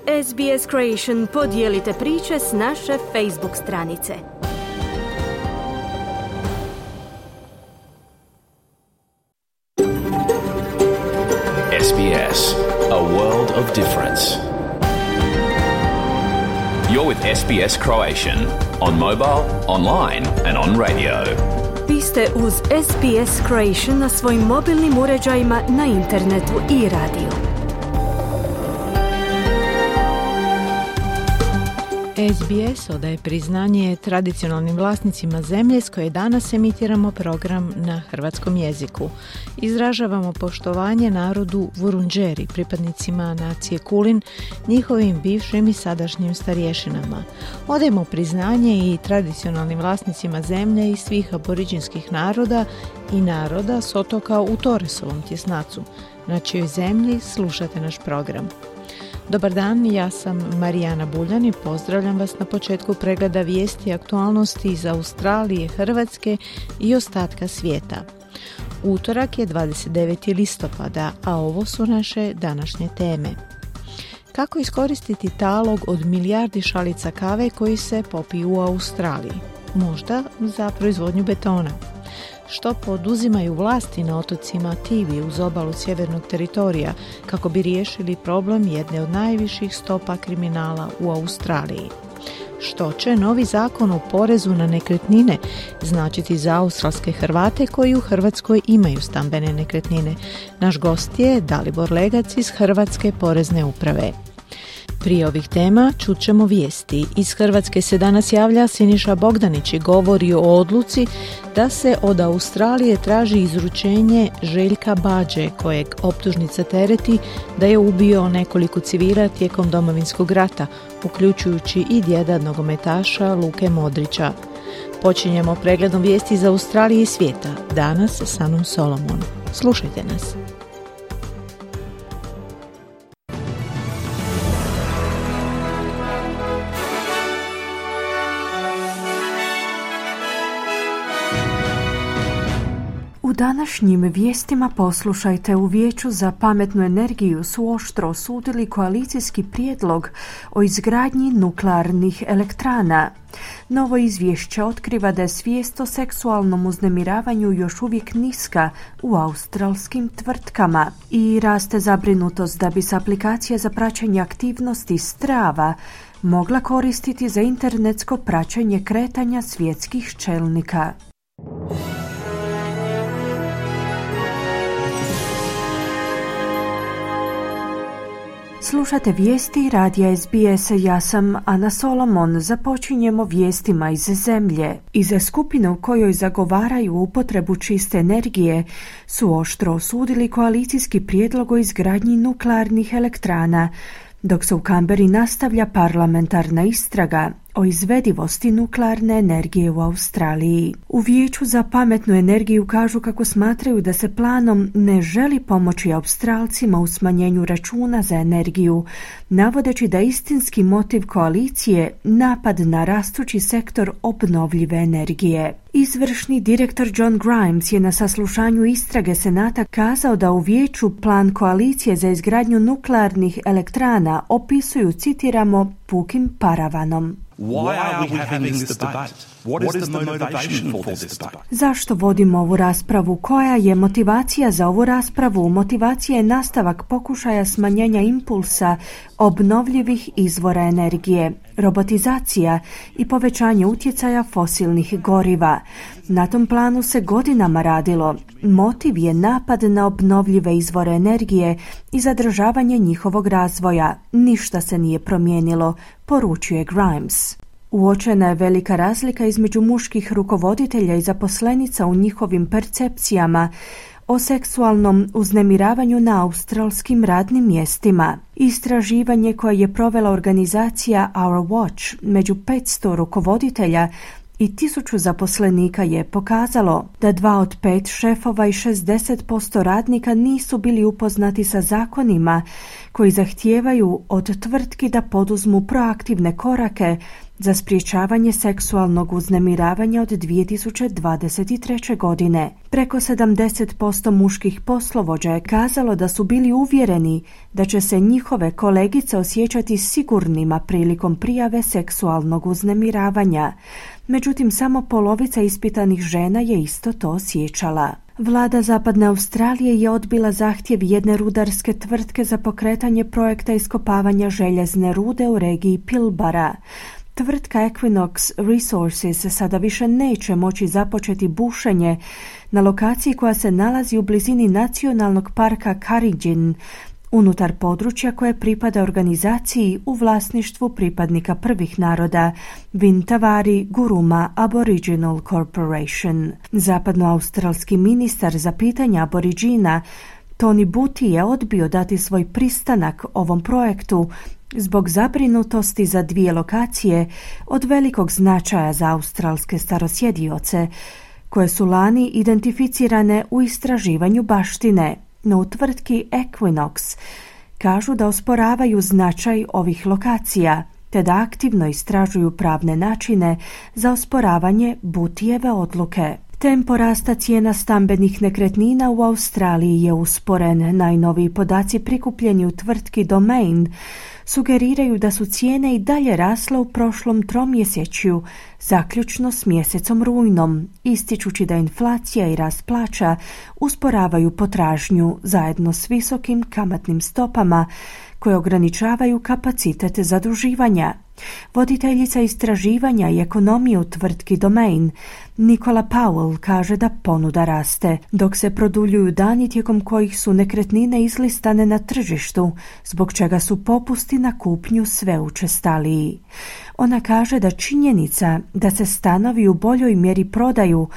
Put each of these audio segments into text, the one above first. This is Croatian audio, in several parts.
SBS Creation podijelite priče s naše Facebook stranice. SBS, a world of difference. You're with SBS Croatian on mobile, online and on radio. Vi ste uz SBS Creation na svojim mobilnim uređajima, na internetu i radiju. SBS odaje priznanje tradicionalnim vlasnicima zemlje s koje danas emitiramo program na hrvatskom jeziku. Izražavamo poštovanje narodu Vurundjeri, pripadnicima nacije Kulin, njihovim bivšim i sadašnjim starješinama. Odajemo priznanje i tradicionalnim vlasnicima zemlje i svih aboriđinskih naroda i naroda s otoka u Torresovom tjesnacu. Na čijoj zemlji slušate naš program. Dobar dan, ja sam Marijana Buljan i pozdravljam vas na početku pregleda vijesti i aktualnosti iz Australije, Hrvatske i ostatka svijeta. Utorak je 29. listopada, a ovo su naše današnje teme. Kako iskoristiti talog od milijardi šalica kave koji se popiju u Australiji? Možda za proizvodnju betona. Što poduzimaju vlasti na otocima Tivi uz obalu sjevernog teritorija kako bi riješili problem jedne od najviših stopa kriminala u Australiji? Što će novi zakon o porezu na nekretnine značiti za australske Hrvate koji u Hrvatskoj imaju stambene nekretnine? Naš gost je Dalibor Legac iz Hrvatske porezne uprave. Prije ovih tema čut ćemo vijesti. Iz Hrvatske se danas javlja Siniša Bogdanić i govori o odluci da se od Australije traži izručenje Željka Bađe, kojeg optužnica tereti da je ubio nekoliko civila tijekom Domovinskog rata, uključujući i djeda nogometaša Luke Modrića. Počinjemo pregledom vijesti iz Australije i svijeta. Danas s Anom Solomon. Slušajte nas. U današnjim vijestima poslušajte: u Vijeću za pametnu energiju su oštro osudili koalicijski prijedlog o izgradnji nuklearnih elektrana. Novo izvješće otkriva da je svijest o seksualnom uznemiravanju još uvijek niska u australskim tvrtkama i raste zabrinutost da bi se aplikacija za praćenje aktivnosti Strava mogla koristiti za internetsko praćenje kretanja svjetskih čelnika. Slušate vijesti radija SBS, ja sam Ana Solomon. Započinjemo vijestima iz zemlje. Iz skupine u kojoj zagovaraju upotrebu čiste energije su oštro osudili koalicijski prijedlog o izgradnji nuklearnih elektrana, dok se u Kamberi nastavlja parlamentarna istraga o izvedivosti nuklearne energije u Australiji. U Vijeću za pametnu energiju kažu kako smatraju da se planom ne želi pomoći Australcima u smanjenju računa za energiju, navodeći da istinski motiv koalicije napad na rastući sektor obnovljive energije. Izvršni direktor John Grimes je na saslušanju istrage Senata kazao da u Vijeću plan koalicije za izgradnju nuklearnih elektrana opisuju, citiramo, pukim paravanom. Why are we having this debate? What is the motivation for this debate? Zašto vodimo ovu raspravu? Koja je motivacija za ovu raspravu? Motivacija je nastavak pokušaja smanjenja impulsa obnovljivih izvora energije, robotizacija i povećanje utjecaja fosilnih goriva. Na tom planu se godinama radilo. Motiv je napad na obnovljive izvore energije i zadržavanje njihovog razvoja. Ništa se nije promijenilo, poručuje Grimes. Uočena je velika razlika između muških rukovoditelja i zaposlenica u njihovim percepcijama o seksualnom uznemiravanju na australskim radnim mjestima. Istraživanje koje je provela organizacija Our Watch među 500 rukovoditelja i 1000 zaposlenika je pokazalo da 2 od 5 šefova i 60% radnika nisu bili upoznati sa zakonima koji zahtijevaju od tvrtki da poduzmu proaktivne korake za sprječavanje seksualnog uznemiravanja od 2023. godine. Preko 70% muških poslovođa je kazalo da su bili uvjereni da će se njihove kolegice osjećati sigurnima prilikom prijave seksualnog uznemiravanja. Međutim, samo polovica ispitanih žena je isto to osjećala. Vlada Zapadne Australije je odbila zahtjev jedne rudarske tvrtke za pokretanje projekta iskopavanja željezne rude u regiji Pilbara. Tvrtka Equinox Resources sada više neće moći započeti bušenje na lokaciji koja se nalazi u blizini nacionalnog parka Karijin, unutar područja koje pripada organizaciji u vlasništvu pripadnika prvih naroda Vintavari Guruma Aboriginal Corporation. Zapadnoaustralski ministar za pitanja aboriđina Tony Buti je odbio dati svoj pristanak ovom projektu zbog zabrinutosti za dvije lokacije od velikog značaja za australske starosjedioce, koje su lani identificirane u istraživanju baštine. No u tvrtki Equinox kažu da osporavaju značaj ovih lokacija, te da aktivno istražuju pravne načine za osporavanje Butijeve odluke. Tempo rasta cijena stambenih nekretnina u Australiji je usporen. Najnoviji podaci prikupljeni u tvrtki Domain sugeriraju da su cijene i dalje rasle u prošlom tromjesečju, zaključno s mjesecom rujnom, ističući da inflacija i rast plaća usporavaju potražnju zajedno s visokim kamatnim stopama koje ograničavaju kapacitet zaduživanja. Voditeljica istraživanja i ekonomije u tvrtki Domain, Nicola Powell, kaže da ponuda raste, dok se produljuju dani tijekom kojih su nekretnine izlistane na tržištu, zbog čega su popusti na kupnju sve učestaliji. Ona kaže da činjenica da se stanovi u boljoj mjeri prodaju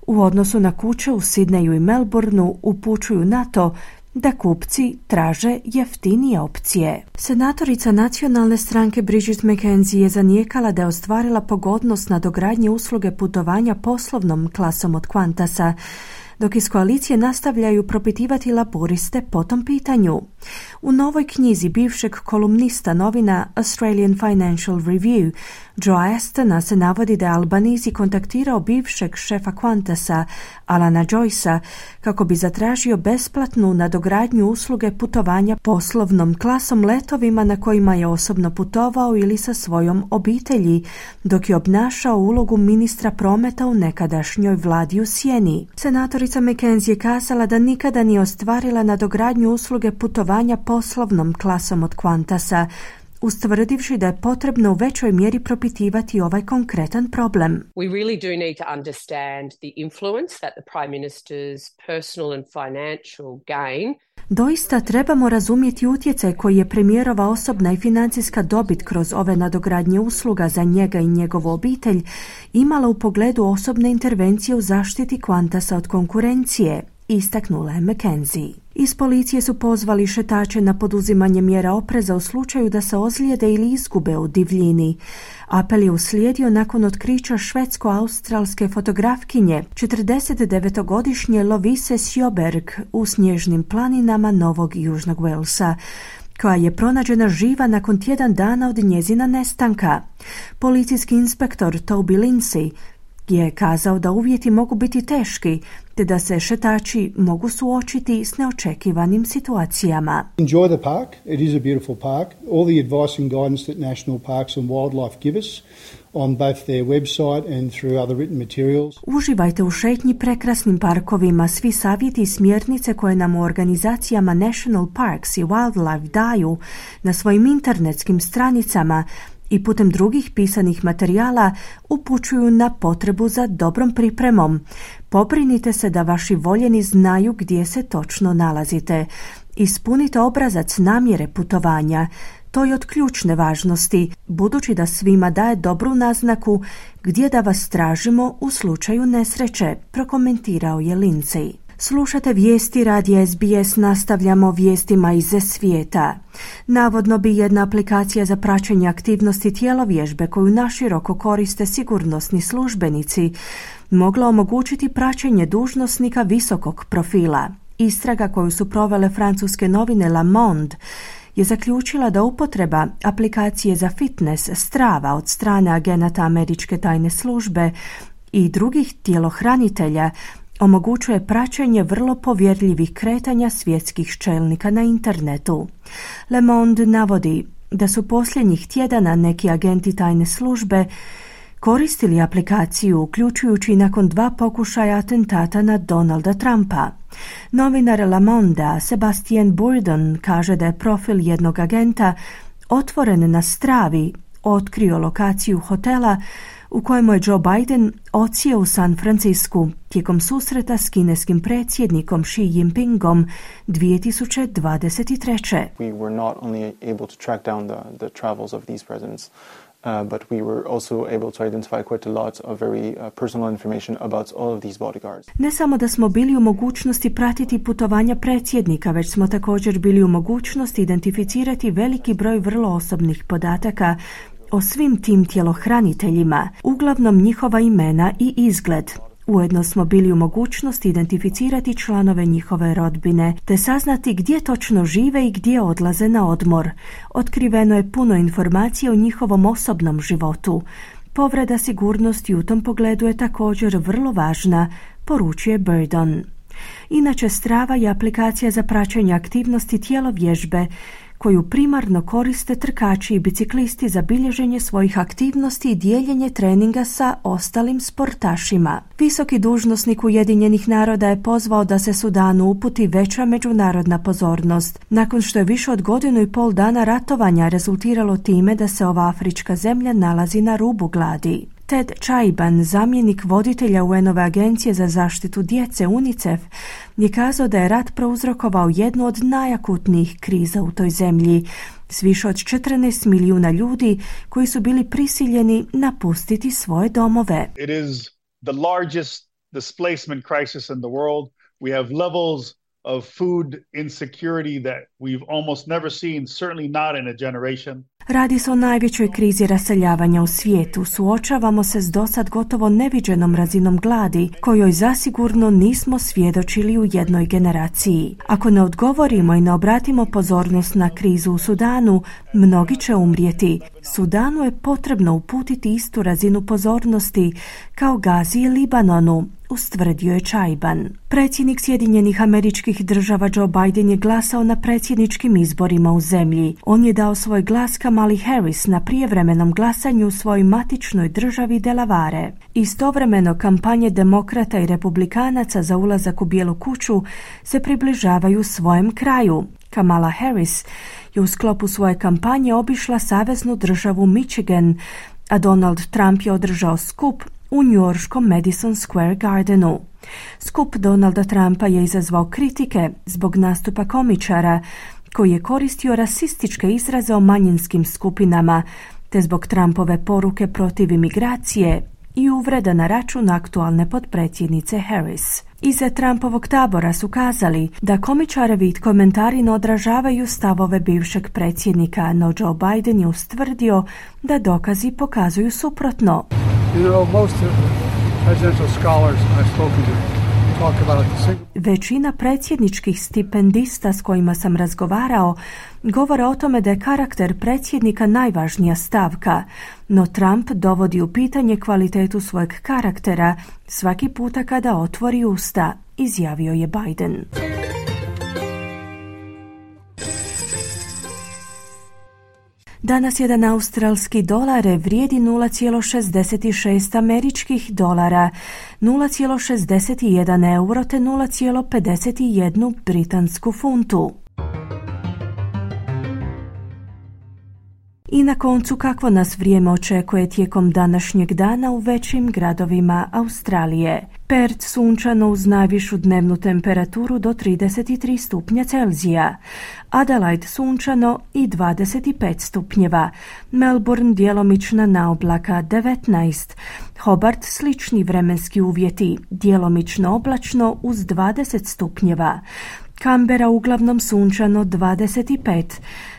u odnosu na kuće u Sidneju i Melbourneu upućuju na to da kupci traže jeftinije opcije. Senatorica nacionalne stranke Bridget McKenzie je zanijekala da je ostvarila pogodnost na dogradnje usluge putovanja poslovnom klasom od Qantasa, dok iz koalicije nastavljaju propitivati laboriste po tom pitanju. U novoj knjizi bivšeg kolumnista novina Australian Financial Review, Joe Astona, se navodi da je Albanese kontaktirao bivšeg šefa Qantasa, Alana Joycea, kako bi zatražio besplatnu nadogradnju usluge putovanja poslovnom klasom letovima na kojima je osobno putovao ili sa svojom obitelji, dok je obnašao ulogu ministra prometa u nekadašnjoj vladi u sjeni. Senatorica McKenzie je kazala da nikada nije ostvarila nadogradnju usluge putovanja poslovnom klasom od Qantasa, ustvrdivši da je potrebno u većoj mjeri propitivati ovaj konkretan problem. We really do need to understand the influence that the Prime Minister's personal and financial gain. Doista trebamo razumjeti utjecaj koji je premijerova osobna i financijska dobit kroz ove nadogradnje usluga za njega i njegovu obitelj imala u pogledu osobne intervencije u zaštiti Qantasa od konkurencije, istaknula je McKenzie. Iz policije su pozvali šetače na poduzimanje mjera opreza u slučaju da se ozlijede ili izgube u divljini. Apel je uslijedio nakon otkrića švedsko-australske fotografkinje 49-godišnje Lovise Sjoberg u snježnim planinama Novog Južnog Walesa, koja je pronađena živa nakon tjedan dana od njezina nestanka. Policijski inspektor Toby Lindsay je kazao da uvjeti mogu biti teški, te da se šetači mogu suočiti s neočekivanim situacijama. Enjoy the park. It is a beautiful park. All the advice and guidance that National Parks and Wildlife give us on both their website and through other written materials. Uživajte u šetnji prekrasnim parkovima. Svi savjeti i smjernice koje nam u organizacijama National Parks i Wildlife daju na svojim internetskim stranicama i putem drugih pisanih materijala upućuju na potrebu za dobrom pripremom. Pobrinite se da vaši voljeni znaju gdje se točno nalazite. Ispunite obrazac namjere putovanja. To je od ključne važnosti, budući da svima daje dobru naznaku gdje da vas tražimo u slučaju nesreće, prokomentirao je Lindsay. Slušate vijesti radija SBS, nastavljamo vijestima iz svijeta. Navodno bi jedna aplikacija za praćenje aktivnosti tjelovježbe koju naširoko koriste sigurnosni službenici mogla omogućiti praćenje dužnosnika visokog profila. Istraga koju su provele francuske novine Le Monde je zaključila da upotreba aplikacije za fitness Strava od strane agenata američke tajne službe i drugih tjelohranitelja omogućuje praćenje vrlo povjerljivih kretanja svjetskih čelnika na internetu. Le Monde navodi da su posljednjih tjedana neki agenti tajne službe koristili aplikaciju, uključujući nakon 2 pokušaja atentata na Donalda Trumpa. Novinar Le Monde Sebastien Bourdon kaže da je profil jednog agenta otvoren na Stravi otkrio lokaciju hotela u kojemu je Joe Biden odsjeo u San Francisku tijekom susreta s kineskim predsjednikom Xi Jinpingom 2023. We were not only able to track down the travels of these presidents, but we were also able to identify quite a lot of very personal information about all of these bodyguards. Ne samo da smo bili u mogućnosti pratiti putovanja predsjednika, već smo također bili u mogućnosti identificirati veliki broj vrlo osobnih podataka o svim tim tjelohraniteljima, uglavnom njihova imena i izgled. Ujedno smo bili u mogućnosti identificirati članove njihove rodbine, te saznati gdje točno žive i gdje odlaze na odmor. Otkriveno je puno informacija o njihovom osobnom životu. Povreda sigurnosti u tom pogledu je također vrlo važna, poručuje Bourdon. Inače, Strava je aplikacija za praćenje aktivnosti tjelovježbe, koju primarno koriste trkači i biciklisti za bilježenje svojih aktivnosti i dijeljenje treninga sa ostalim sportašima. Visoki dužnosnik Ujedinjenih naroda je pozvao da se Sudanu uputi veća međunarodna pozornost, nakon što je više od 1,5 dana ratovanja rezultiralo time da se ova afrička zemlja nalazi na rubu gladi. Ted Chaiban, zamjenik voditelja UN-ove agencije za zaštitu djece UNICEF, je kazao da je rat prouzrokovao jednu od najakutnijih kriza u toj zemlji, s više od 14 milijuna ljudi koji su bili prisiljeni napustiti svoje domove. It is the largest displacement crisis in the world. We have levels of food insecurity that we've almost never seen, certainly not in a generation. Radi se o najvećoj krizi raseljavanja u svijetu. Suočavamo se s dosad gotovo neviđenom razinom gladi, kojoj zasigurno nismo svjedočili u jednoj generaciji. Ako ne odgovorimo i ne obratimo pozornost na krizu u Sudanu, mnogi će umrijeti. Sudanu je potrebno uputiti istu razinu pozornosti kao Gazi i Libanonu, ustvrdio je Chaiban. Predsjednik Sjedinjenih Američkih Država Joe Biden je glasao na predsjedničkim izborima u zemlji. On je dao svoj glas Kamali Harris na prijevremenom glasanju u svojoj matičnoj državi Delaware. Istovremeno kampanje demokrata i republikanaca za ulazak u Bijelu kuću se približavaju svojem kraju. Kamala Harris je u sklopu svoje kampanje obišla saveznu državu Michigan, a Donald Trump je održao skup u njujorškom Madison Square Gardenu. Skup Donalda Trumpa je izazvao kritike zbog nastupa komičara koji je koristio rasističke izraze o manjinskim skupinama, te zbog Trumpove poruke protiv imigracije i uvreda na račun aktualne potpredsjednice Harris. Iza Trumpovog tabora su kazali da komičarevi komentari ne odražavaju stavove bivšeg predsjednika, no Joe Biden je ustvrdio da dokazi pokazuju suprotno. Most presidential scholars I've spoken to talk about Većina predsjedničkih stipendista s kojima sam razgovarao govore o tome da je karakter predsjednika najvažnija stavka, no Trump dovodi u pitanje kvalitetu svojeg karaktera svaki puta kada otvori usta, izjavio je Biden. Danas jedan australski dolar vrijedi 0,66 američkih dolara, 0,61 euro te 0,51 britansku funtu. I na koncu, kakvo nas vrijeme očekuje tijekom današnjeg dana u većim gradovima Australije. Perth sunčano uz najvišu dnevnu temperaturu do 33 stupnja Celzija. Adelaide sunčano i 25 stupnjeva. Melbourne djelomična naoblaka 19. Hobart slični vremenski uvjeti, djelomično oblačno uz 20 stupnjeva. Canberra uglavnom sunčano 25,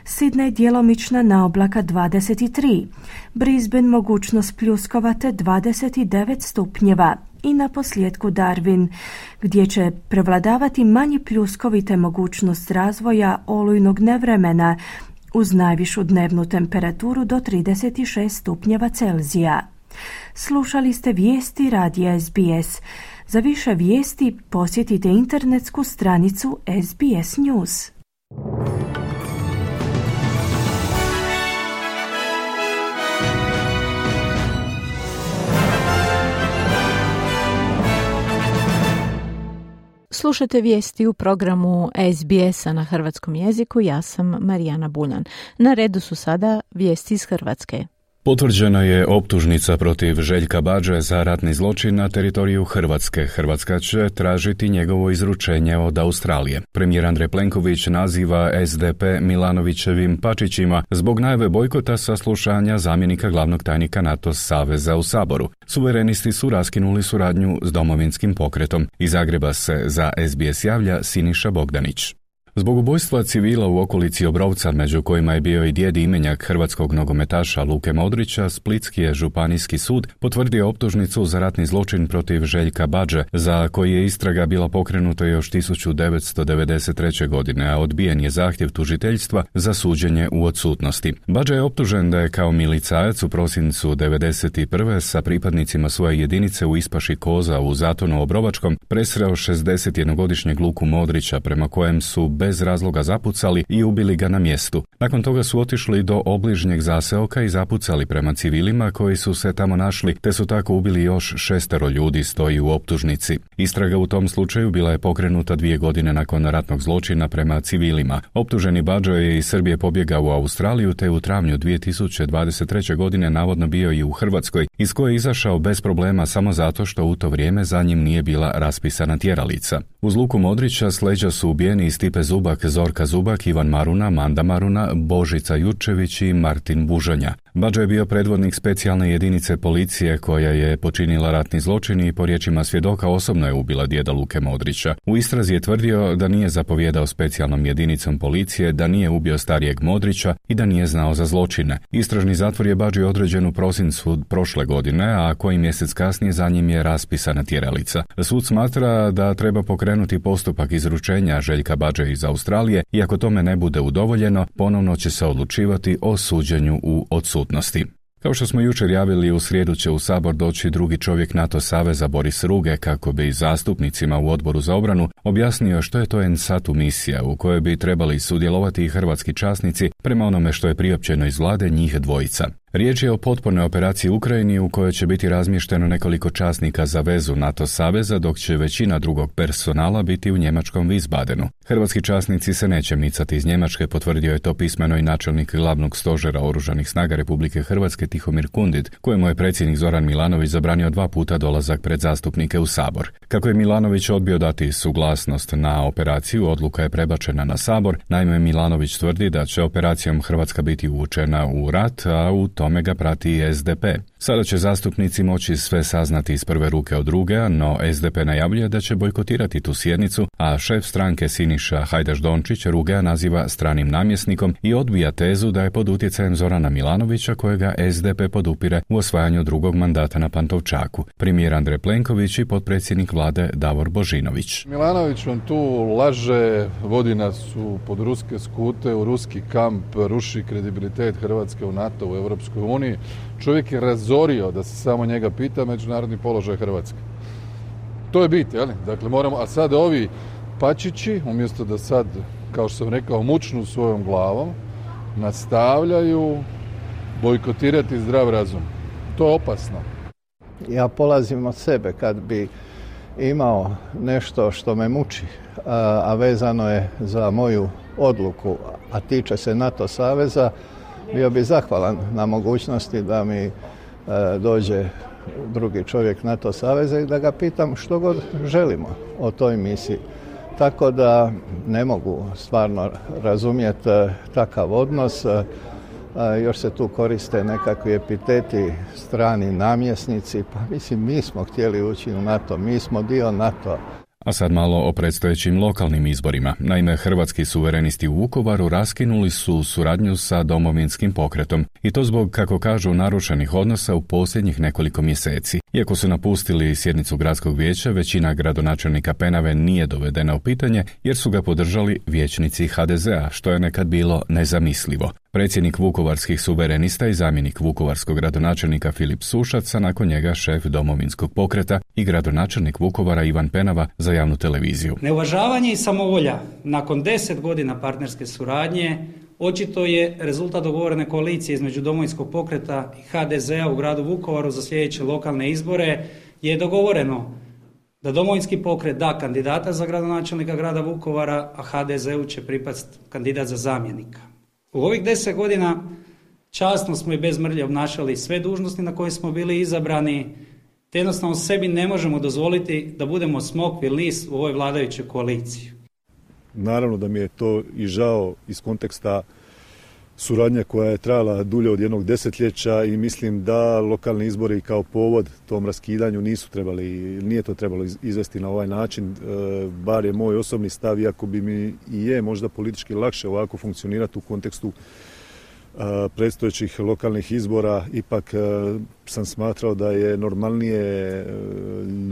Sydney djelomična naoblaka 23, Brisbane mogućnost pljuskova te 29 stupnjeva, i na posljedku Darwin, gdje će prevladavati manji pljuskovi te mogućnost razvoja olujnog nevremena uz najvišu dnevnu temperaturu do 36 stupnjeva Celzija. Slušali ste vijesti radija SBS. Za više vijesti posjetite internetsku stranicu SBS News. Slušate vijesti u programu SBS-a na hrvatskom jeziku. Ja sam Marijana Buljan. Na redu su sada vijesti iz Hrvatske. Potvrđena je optužnica protiv Željka Badže za ratni zločin na teritoriju Hrvatske. Hrvatska će tražiti njegovo izručenje od Australije. Premijer Andrej Plenković naziva SDP Milanovićevim pačićima zbog najave bojkota saslušanja zamjenika glavnog tajnika NATO saveza u Saboru. Suverenisti su raskinuli suradnju s Domovinskim pokretom. Iz Zagreba se za SBS javlja Siniša Bogdanić. Zbog ubojstva civila u okolici Obrovca, među kojima je bio i djed imenjak hrvatskog nogometaša Luke Modrića, Splitski je županijski sud potvrdio optužnicu za ratni zločin protiv Željka Badže, za koji je istraga bila pokrenuta još 1993. godine, a odbijen je zahtjev tužiteljstva za suđenje u odsutnosti. Badže je optužen da je kao milicajac u prosincu 1991. sa pripadnicima svoje jedinice u ispaši koza u Zatonu Obrovačkom presreo 61-godišnjeg Luku Modrića, prema kojem su bez razloga zapucali i ubili ga na mjestu. Nakon toga su otišli do obližnjeg zaseoka i zapucali prema civilima koji su se tamo našli, te su tako ubili još 6 ljudi, stoji u optužnici. Istraga u tom slučaju bila je pokrenuta 2 godine nakon ratnog zločina prema civilima. Optuženi Badže je iz Srbije pobjegao u Australiju, te u travnju 2023. godine navodno bio i u Hrvatskoj, iz koje je izašao bez problema samo zato što u to vrijeme za njim nije bila raspisana tjeralica. Uz Luku Modrića s leđa su ubijeni i Stipe Zubak, Zorka Zubak, Ivan Maruna, Manda Maruna, Božica Jurčević i Martin Bužanja. Badže je bio predvodnik specijalne jedinice policije koja je počinila ratni zločin i po riječima svjedoka osobno je ubila djeda Luke Modrića. U istrazi je tvrdio da nije zapovijedao specijalnom jedinicom policije, da nije ubio starijeg Modrića i da nije znao za zločine. Istražni zatvor je Badži određen u prosincu prošle godine, a koji mjesec kasnije za njim je raspisana tjeralica. Sud smatra da treba pokrenuti postupak izručenja Željka Badže iz Australije i ako tome ne bude udovoljeno, ponovno će se odlučivati o suđenju u odsutnosti. Kao što smo jučer javili, u srijedu će u Sabor doći drugi čovjek NATO saveza Boris Ruge kako bi zastupnicima u Odboru za obranu objasnio što je to NSATU misija u kojoj bi trebali sudjelovati i hrvatski časnici prema onome što je priopćeno iz vlade njih dvojica. Riječ je o potpornoj operaciji u Ukrajini u kojoj će biti razmješteno nekoliko časnika za vezu NATO saveza, dok će većina drugog personala biti u njemačkom Wiesbadenu. Hrvatski časnici se neće micati iz Njemačke, potvrdio je to pismeno i načelnik glavnog stožera Oružanih snaga Republike Hrvatske Tihomir Kundit, kojemu je predsjednik Zoran Milanović zabranio 2 puta dolazak pred zastupnike u Sabor. Kako je Milanović odbio dati suglasnost na operaciju, odluka je prebačena na Sabor. Naime, Milanović tvrdi da će operacijom Hrvatska biti uvučena u rat, a u tome ga prati i SDP. Sada će zastupnici moći sve saznati iz prve ruke od druge, no SDP najavljuje da će bojkotirati tu sjednicu, a šef stranke Siniša Hajdaš-Dončić Rugea naziva stranim namjesnikom i odbija tezu da je pod utjecajem Zorana Milanovića, kojega SDP podupire u osvajanju drugog mandata na Pantovčaku. Premijer Andrej Plenković i potpredsjednik vlade Davor Božinović. Milanović vam tu laže, vodi nas pod ruske skute, u ruski kamp, ruši kredibilitet Hrvatske u NATO, u Europskoj uniji. Čovjek je razorio, da se samo njega pita, međunarodni položaj Hrvatske. To je bit, jel? Dakle, moramo, a sad ovi pačići, umjesto da sad, kao što sam rekao, mučnu svojom glavom, nastavljaju bojkotirati zdrav razum. To je opasno. Ja polazim od sebe. Kad bi imao nešto što me muči, a vezano je za moju odluku, a tiče se NATO saveza, bio bi zahvalan na mogućnosti da mi dođe drugi čovjek NATO saveza i da ga pitam što god želimo o toj misiji. Tako da ne mogu stvarno razumjeti takav odnos. Još se tu koriste nekakvi epiteti, strani namjesnici. Pa mislim, mi smo htjeli ući u NATO, mi smo dio NATO. A sad malo o predstojećim lokalnim izborima. Naime, hrvatski suverenisti u Vukovaru raskinuli su suradnju sa Domovinskim pokretom. I to zbog, kako kažu, narušenih odnosa u posljednjih nekoliko mjeseci. Iako su napustili sjednicu gradskog vijeća, većina gradonačelnika Penave nije dovedena u pitanje jer su ga podržali vijećnici HDZ-a, što je nekad bilo nezamislivo. Predsjednik vukovarskih suverenista i zamjenik vukovarskog gradonačelnika Filip Sušac, a nakon njega šef Domovinskog pokreta i gradonačelnik Vukovara Ivan Penava za javnu televiziju. Neuvažavanje i samovolja nakon 10 godina partnerske suradnje očito je rezultat dogovorene koalicije između Domovinskog pokreta i HDZ-a u gradu Vukovaru za sljedeće lokalne izbore je dogovoreno da Domovinski pokret da kandidata za gradonačelnika grada Vukovara, a HDZ-u će pripasti kandidat za zamjenika. U ovih 10 godina časno smo i bez mrlje obnašali sve dužnosti na koje smo bili izabrani, te jednostavno sebi ne možemo dozvoliti da budemo smokvi list u ovoj vladajućoj koaliciji. Naravno da mi je to i žao iz konteksta suradnja koja je trajala dulje od jednog desetljeća i mislim da lokalni izbori kao povod tom raskidanju nije to trebalo izvesti na ovaj način, bar je moj osobni stav, iako bi mi i je možda politički lakše ovako funkcionirati u kontekstu predstojećih lokalnih izbora, ipak sam smatrao da je normalnije,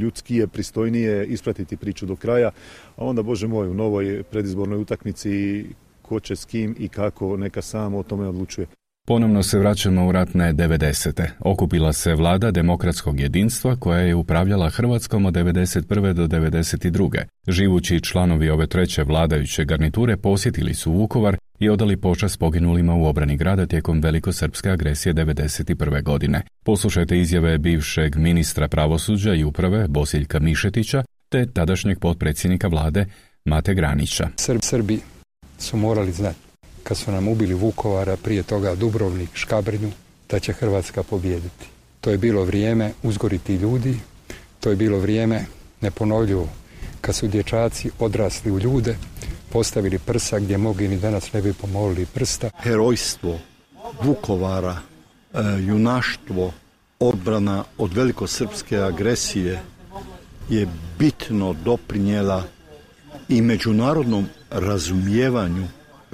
ljudskije, pristojnije ispratiti priču do kraja, a onda, Bože moj, u novoj predizbornoj utakmici ko će s kim i kako, neka sam o tome odlučuje. Ponovno se vraćamo u ratne 90. Okupila se vlada demokratskog jedinstva koja je upravljala Hrvatskom od 91. do 92. Živući članovi ove treće vladajuće garniture posjetili su Vukovar i odali počast poginulima u obrani grada tijekom velikosrpske agresije 91. godine. Poslušajte izjave bivšeg ministra pravosuđa i uprave Bosiljka Mišetića te tadašnjeg potpredsjednika vlade Mate Granića. Srbi su morali znati, kad su nam ubili Vukovara, prije toga Dubrovnik, Škabrnju, da će Hrvatska pobijediti. To je bilo vrijeme uzgoriti ljudi, to je bilo vrijeme neponovljivo, kad su dječaci odrasli u ljude, postavili prsa gdje mogli ni danas ne bi pomolili prsta. Herojstvo Vukovara, junaštvo, odbrana od velikosrpske agresije je bitno doprinijela i međunarodnom razumijevanju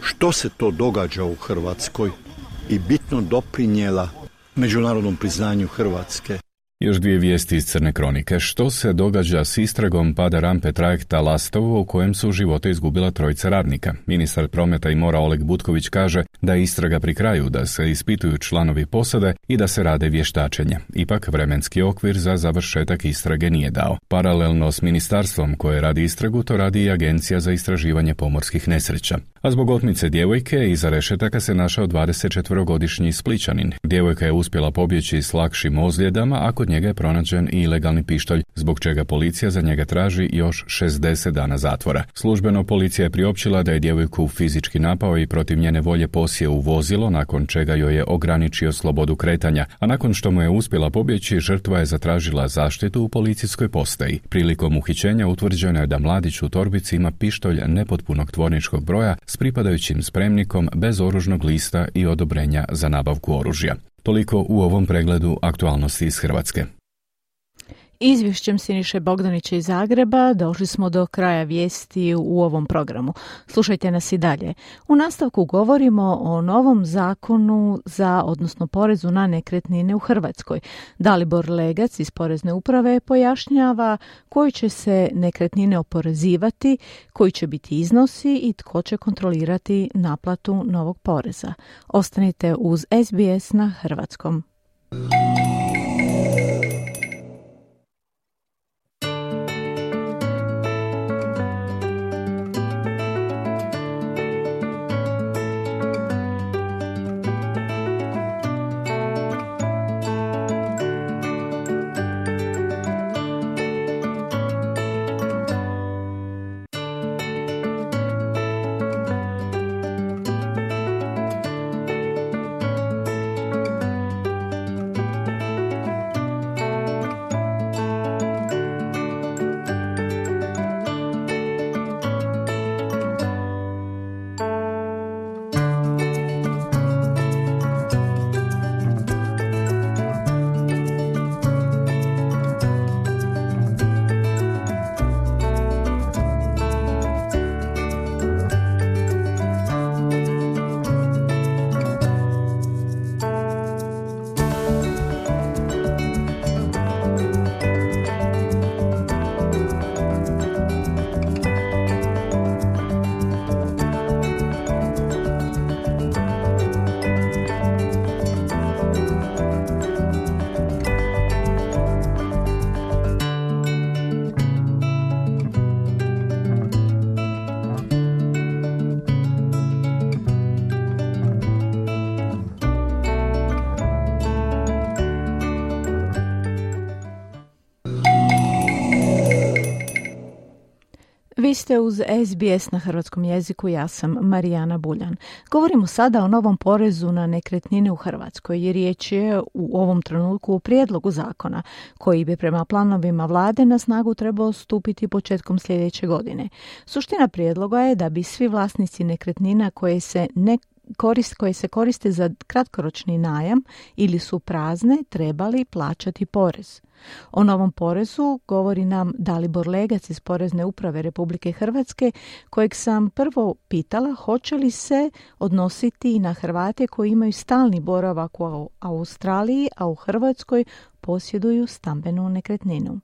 što se to događa u Hrvatskoj i bitno doprinijela međunarodnom priznanju Hrvatske. Još dvije vijesti iz Crne kronike. Što se događa s istragom pada rampe trajekta Lastovo u kojem su živote izgubila trojica radnika? Ministar prometa i mora Oleg Butković kaže da je istraga pri kraju, da se ispituju članovi posade i da se rade vještačenja. Ipak vremenski okvir za završetak istrage nije dao. Paralelno s ministarstvom koje radi istragu, to radi i Agencija za istraživanje pomorskih nesreća. A zbog otmice djevojke iza rešetaka se našao 24-godišnji Splićanin. Djevojka je uspjela pobjeći s lakšim ozljedama, a kod njega je pronađen i ilegalni pištolj, zbog čega policija za njega traži još 60 dana zatvora. Službeno policija je priopćila da je djevojku fizički napao i protiv njene volje posjeo u vozilo, nakon čega joj je ograničio slobodu kretanja, a nakon što mu je uspjela pobjeći, žrtva je zatražila zaštitu u policijskoj postaji. Prilikom uhićenja utvrđeno je da mladić u torbici ima pištolj nepotpunog tvorničkog broja s pripadajućim spremnikom bez oružnog lista i odobrenja za nabavku oružja. Toliko u ovom pregledu aktualnosti iz Hrvatske. Izvješćem Siniše Bogdanića iz Zagreba došli smo do kraja vijesti u ovom programu. Slušajte nas i dalje. U nastavku govorimo o novom zakonu odnosno porezu na nekretnine u Hrvatskoj. Dalibor Legac iz Porezne uprave pojašnjava koji će se nekretnine oporezivati, koji će biti iznosi i tko će kontrolirati naplatu novog poreza. Ostanite uz SBS na hrvatskom. Vi ste uz SBS na hrvatskom jeziku, ja sam Marijana Buljan. Govorimo sada o novom porezu na nekretnine u Hrvatskoj, jer riječ je u ovom trenutku o prijedlogu zakona koji bi prema planovima vlade na snagu trebao stupiti početkom sljedeće godine. Suština prijedloga je da bi svi vlasnici nekretnina koje se koriste za kratkoročni najam ili su prazne trebali plaćati porez. O novom porezu govori nam Dalibor Legac iz Porezne uprave Republike Hrvatske, kojeg sam prvo pitala hoće li se odnositi i na Hrvate koji imaju stalni boravak u Australiji, a u Hrvatskoj posjeduju stambenu nekretninu.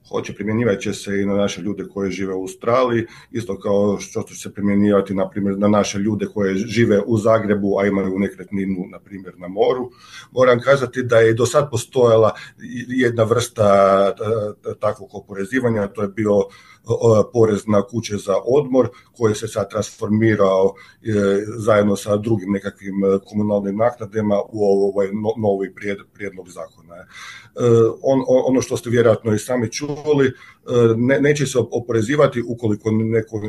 Hoće, primjenjivat će se i na naše ljude koji žive u Australiji, isto kao što će se primjenjivati na primjer na naše ljude koji žive u Zagrebu, a imaju nekretninu na primjer na moru. Moram kazati da je do sad postojala jedna vrsta takvog oporezivanja, to je bio porez na kuće za odmor koji se sad transformirao zajedno sa drugim nekakvim komunalnim naknadama u ovaj novi prijedlog zakona. Ono što ste vjerojatno i sami čuli, neće se oporezivati ukoliko neko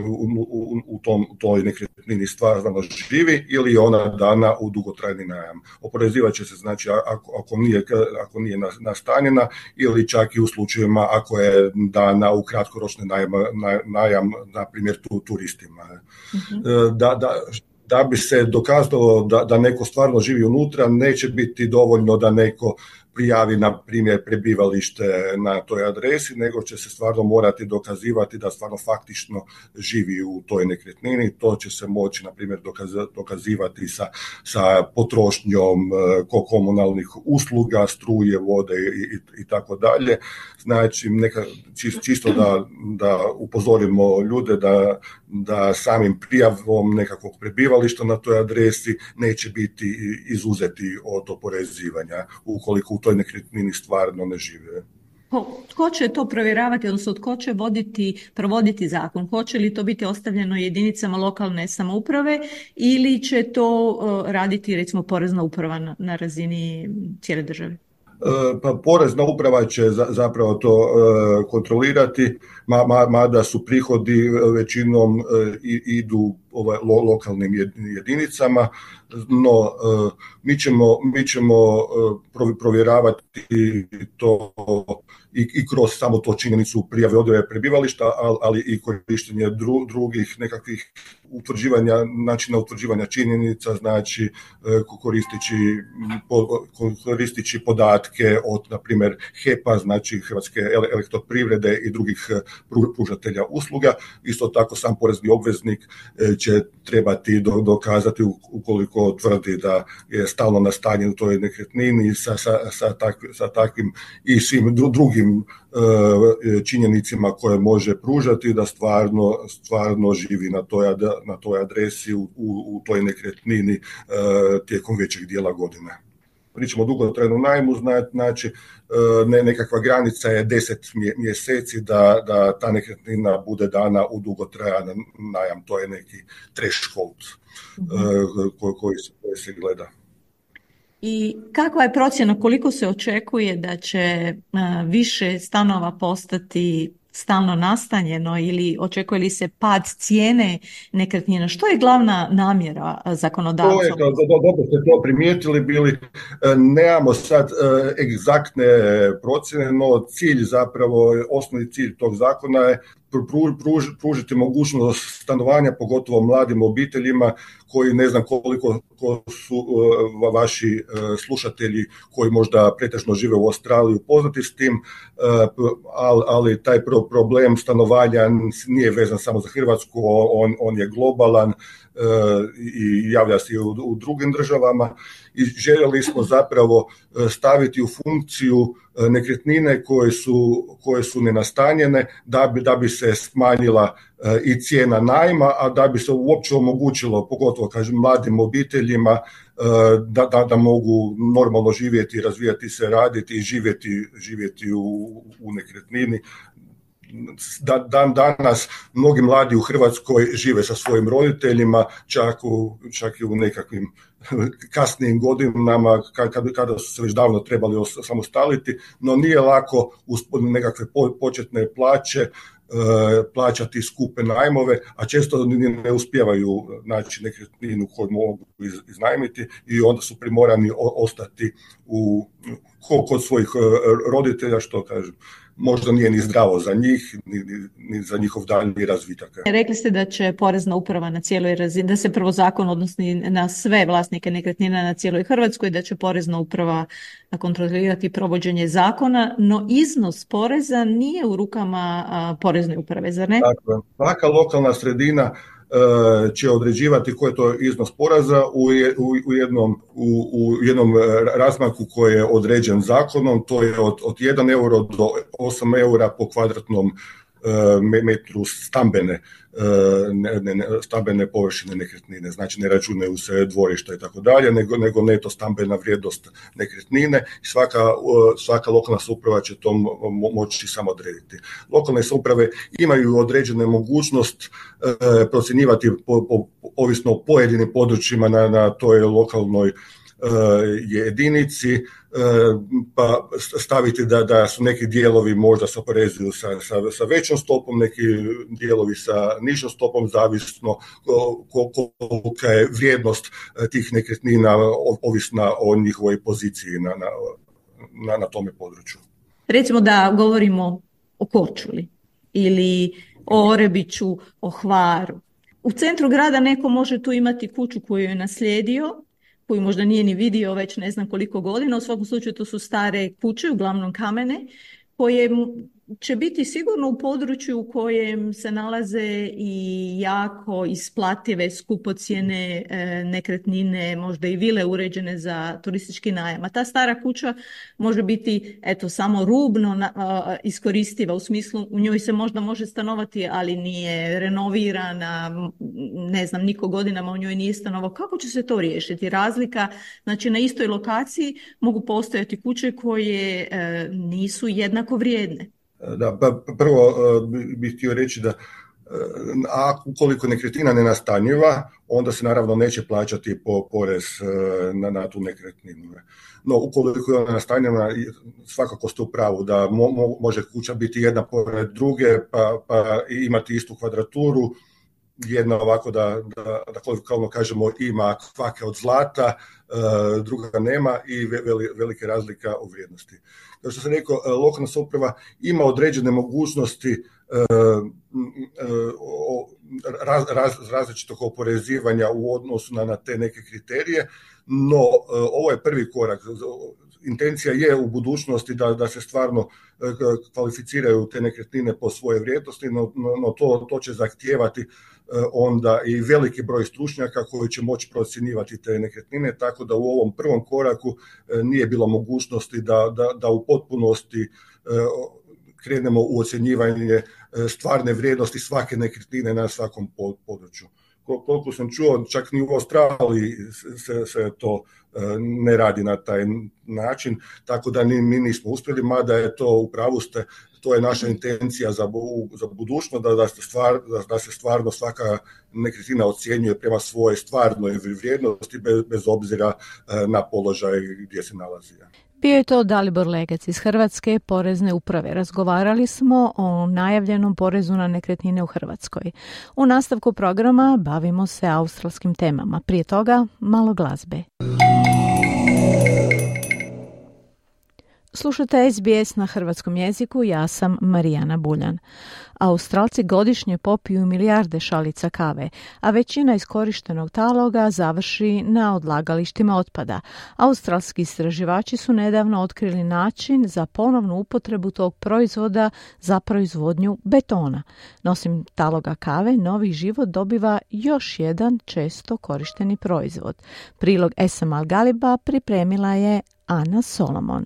u toj nekretnini stvarno živi ili je ona dana u dugotrajni najam. Oporezivat će se znači ako nije nastanjena ili čak i u slučajevima ako je dana u kratkoročni najam, na primjer turistima. Da bi se dokazalo da neko stvarno živi unutra, neće biti dovoljno da neko prijavi na primjer prebivalište na toj adresi, nego će se stvarno morati dokazivati da stvarno faktično živi u toj nekretnini. To će se moći na primjer dokazivati sa potrošnjom komunalnih usluga, struje, vode i tako dalje. Znači čisto da upozorimo ljude da samim prijavom nekakvog prebivališta na toj adresi neće biti izuzeti od oporezivanja ukoliko u toj nekretnini stvarno ne žive. Tko će to provjeravati, odnosno tko će provoditi zakon? Hoće li to biti ostavljeno jedinicama lokalne samouprave ili će to raditi recimo Porezna uprava na razini cijele države? Pa Porezna uprava će zapravo to kontrolirati, mada su prihodi većinom idu lokalnim jedinicama, no mi ćemo provjeravati to i kroz samo to činjenicu prijave odjave prebivališta, ali i korištenje drugih nekakvih načina utvrđivanja činjenica, znači koristići podatke od, na primjer, HEP-a, znači Hrvatske elektroprivrede i drugih pružatelja usluga. Isto tako sam porezni obveznik će trebati dokazati ukoliko tvrdi da je stalno nastanjen u toj nekretnini sa takvim i svim drugim činjenicima koje može pružati da stvarno živi na toj adresi u toj nekretnini tijekom većeg dijela godine. Pričamo o dugotrajnom najmu, znači nekakva granica je 10 mjeseci da ta nekretnina bude dana u dugotrajan najam. To je neki threshold koji se gleda. I kakva je procjena, koliko se očekuje da će više stanova postati stalno nastanjeno ili očekuje li se pad cijene nekretnina? Što je glavna namjera zakonodavca? Dobro ste to primijetili bili. Nemamo sad egzaktne procjene, no cilj zapravo, osnovni cilj tog zakona je pružiti mogućnost stanovanja, pogotovo mladim obiteljima koji ne znam koliko su vaši slušatelji koji možda pretežno žive u Australiji upoznati s tim, ali taj problem stanovanja nije vezan samo za Hrvatsku, on je globalan i javlja se i u drugim državama i željeli smo zapravo staviti u funkciju nekretnine koje su nenastanjene da bi se smanjila i cijena najma, a da bi se uopće omogućilo, pogotovo kažem mladim obiteljima, da mogu normalno živjeti, razvijati se, raditi i živjeti u nekretnini. Danas mnogi mladi u Hrvatskoj žive sa svojim roditeljima, čak i u nekakvim kasnijim godinama kada su se već davno trebali samostaliti, no nije lako uz nekakve početne plaće plaćati skupe najmove, a često ne uspijevaju naći nekretninu koju mogu iznajmiti i onda su primorani ostati kod svojih roditelja, što kažem, možda nije ni zdravo za njih, ni za njihov daljnji razvitak. Rekli ste da će porezna uprava na cijeloj razini, da se prvo zakon odnosi na sve vlasnike nekretnina na cijeloj Hrvatskoj, da će porezna uprava kontrolirati provođenje zakona, no iznos poreza nije u rukama porezne uprave, zar ne? Dakle, svaka lokalna sredina će određivati koji je to iznos poreza u jednom razmaku koji je određen zakonom, to je od 1 euro do 8 eura po kvadratnom metru stambene površine nekretnine, znači ne računaju se dvorišta i tako dalje, nego neto stambena vrijednost nekretnine. Svaka lokalna samouprava će to moći samo odrediti. Lokalne samouprave imaju određene mogućnost procjenjivati ovisno o pojedinim područjima na toj lokalnoj jedinici, pa staviti da su neki dijelovi možda se oporezuju sa većom stopom, neki dijelovi sa nižom stopom, zavisno kolika je vrijednost tih nekretnina ovisna o njihovoj poziciji na tome području. Recimo da govorimo o Korčuli ili o Orebiću, o Hvaru. U centru grada neko može tu imati kuću koju je naslijedio, koju možda nije ni vidio već ne znam koliko godina. U svakom slučaju to su stare kuće, uglavnom kamene, koje će biti sigurno u području u kojem se nalaze i jako isplative, skupocjene nekretnine, možda i vile uređene za turistički najam. A ta stara kuća može biti samo rubno iskoristiva, u smislu u njoj se možda može stanovati, ali nije renovirana, ne znam, niko godinama u njoj nije stanovao. Kako će se to riješiti? Razlika, znači na istoj lokaciji mogu postojati kuće koje nisu jednako vrijedne. Da, prvo bih htio reći da ukoliko nekretnina ne nastanjiva, onda se naravno neće plaćati porez na tu nekretninu. No, ukoliko je ona nastanjena, svakako ste u pravu da može kuća biti jedna pored druge, pa imati istu kvadraturu, jedna ovako da kolokvijalno kažemo ima kvake od zlata, druga nema i velike razlika u vrijednosti. Kao što sam rekao, lokalna samouprava ima određene mogućnosti različitog oporezivanja u odnosu na te neke kriterije, no ovo je prvi korak. Intencija je u budućnosti da se stvarno kvalificiraju te nekretnine po svoje vrijednosti, no to će zahtijevati onda i veliki broj stručnjaka koji će moći procjenjivati te nekretnine, tako da u ovom prvom koraku nije bilo mogućnosti da u potpunosti krenemo u ocjenjivanje stvarne vrijednosti svake nekretnine na svakom području. Koliko sam čuo, čak ni u Australiji se to ne radi na taj način, tako da mi nismo uspjeli, mada je to, u pravu ste, to je naša intencija za budućnost, da se stvarno svaka nekretnina ocjenjuje prema svojoj stvarnoj vrijednosti, bez obzira na položaj gdje se nalazi. Bio je to Dalibor Legac iz Hrvatske porezne uprave. Razgovarali smo o najavljenom porezu na nekretnine u Hrvatskoj. U nastavku programa bavimo se australskim temama. Prije toga malo glazbe. Slušate SBS na hrvatskom jeziku, ja sam Marijana Buljan. Australci godišnje popiju milijarde šalica kave, a većina iskorištenog taloga završi na odlagalištima otpada. Australski istraživači su nedavno otkrili način za ponovnu upotrebu tog proizvoda za proizvodnju betona. No, osim taloga kave, novi život dobiva još jedan često korišteni proizvod. Prilog Esam Al-Galiba pripremila je Ana Solomon.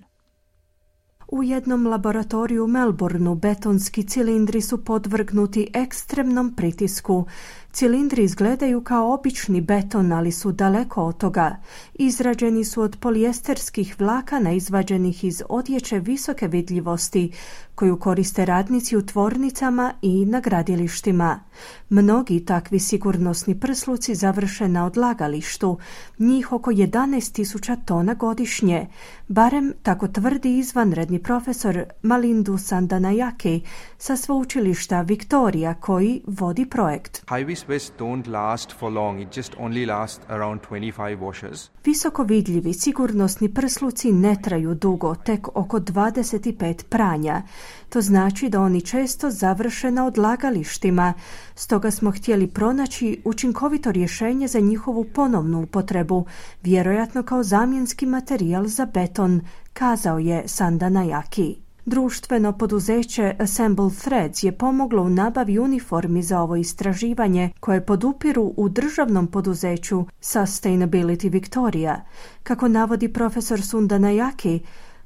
U jednom laboratoriju u Melbourneu betonski cilindri su podvrgnuti ekstremnom pritisku. Cilindri izgledaju kao obični beton, ali su daleko od toga. Izrađeni su od polijesterskih vlakana izvađenih iz odjeće visoke vidljivosti, koju koriste radnici u tvornicama i na gradilištima. Mnogi takvi sigurnosni prsluci završe na odlagalištu, njih oko 11.000 tona godišnje. Barem tako tvrdi izvanredni profesor Malindu Sandanayake sa sveučilišta Victoria koji vodi projekt. High-vis vests don't last for long. It just only last around 25 washes. Visoko vidljivi sigurnosni prsluci ne traju dugo, tek oko 25 pranja. To znači da oni često završe na odlagalištima. Stoga smo htjeli pronaći učinkovito rješenje za njihovu ponovnu upotrebu, vjerojatno kao zamjenski materijal za beton, kazao je Sandanayake. Društveno poduzeće Assemble Threads je pomoglo u nabavi uniformi za ovo istraživanje koje podupiru u državnom poduzeću Sustainability Victoria. Kako navodi profesor Sandanayake,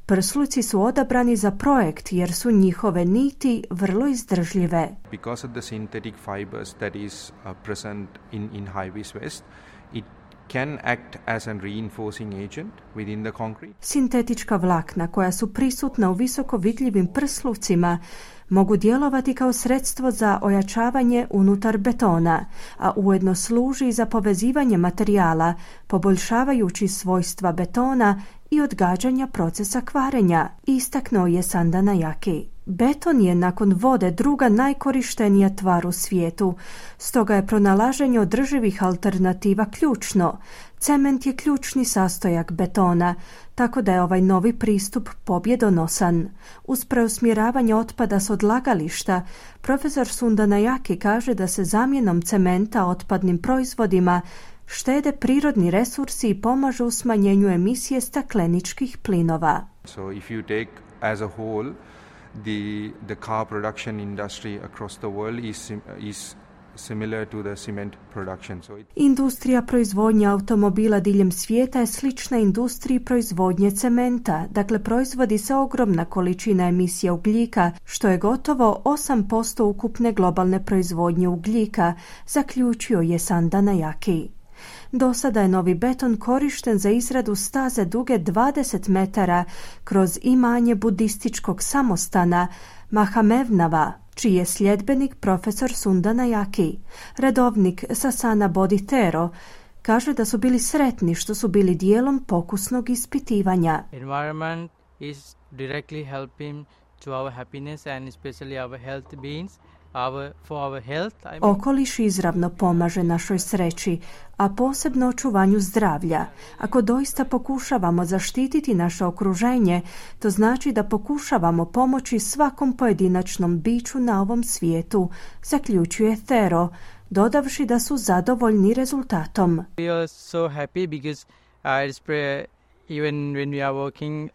prsluci su odabrani za projekt jer su njihove niti vrlo izdržljive. Because of the synthetic fibers that is present in high-vis vest, it can act as a reinforcing agent within the concrete. Sintetička vlakna koja su prisutna u visoko vidljivim prslucima mogu djelovati kao sredstvo za ojačavanje unutar betona, a ujedno služi za povezivanje materijala, poboljšavajući svojstva betona i odgađanja procesa kvarenja, istaknuo je Sandanayake. Beton je nakon vode druga najkorištenija tvar u svijetu, stoga je pronalaženje održivih alternativa ključno. Cement je ključni sastojak betona, tako da je ovaj novi pristup pobjedonosan. Uz preusmjeravanje otpada s odlagališta, profesor Sandanayake kaže da se zamjenom cementa otpadnim proizvodima štede prirodni resursi i pomažu u smanjenju emisije stakleničkih plinova. So if you take as a whole the car production industry across the world is similar to the cement production. Industrija proizvodnje automobila diljem svijeta je slična industriji proizvodnje cementa, dakle proizvodi se ogromna količina emisija ugljika, što je gotovo 8% ukupne globalne proizvodnje ugljika, zaključio je Sandanayake. Do sada je novi beton korišten za izradu staze duge 20 metara kroz imanje budističkog samostana Mahamevnava, čiji je sljedbenik profesor Sandanayake. Redovnik Sasana Bodhitero kaže da su bili sretni što su bili dijelom pokusnog ispitivanja. Environment is directly helping to our happiness and especially our health beings. Okoliš izravno pomaže našoj sreći, a posebno očuvanju zdravlja. Ako doista pokušavamo zaštititi naše okruženje, to znači da pokušavamo pomoći svakom pojedinačnom biću na ovom svijetu, zaključuje Thero, dodavši da su zadovoljni rezultatom. We are so happy because even when we are working,